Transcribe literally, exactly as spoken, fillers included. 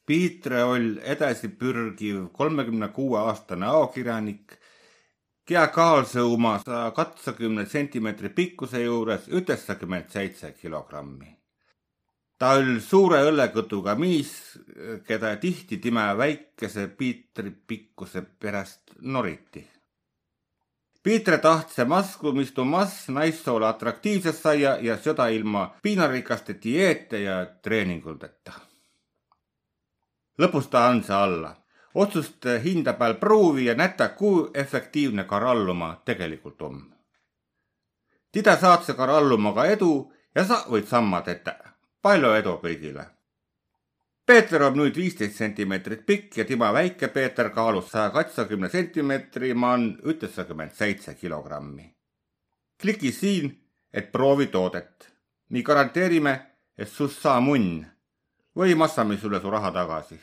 Piitre oll edasi pürgiv kolmekümne kuue aastane aokirjanik, kea kaalsõ uma saja katsakümne sentimeetri pikkuse juures ütessakümne seitse kilogrammi. Ta oll suure õllekõtuga miis, keda tihti timä väikese Piitri pikkuse peräst noriti. Piitre tahtse masku, mis tu mas naissoole atraktiivses saia ja seda ilma piinarikaste dieete ja treeninguldeta. Lõpus ta andse alla. Otsust hinda pääl pruuvi ja nätä, ku efektiivne karalluma tegelikult om. Tidä saatse karalluma ka edu ja sa võid samma tetä. Pallo edu kõigile. Peeter om nuid viisteist sentimeetrit pikk ja tima väike Peeter kaalus saja katsakümne sentimeetri man ütessakümne seitse kilogrammi. Kliki siin, et proovi toodet. Mi garanteerime, et sust saa munn. Või massame sulle su raha tagasi.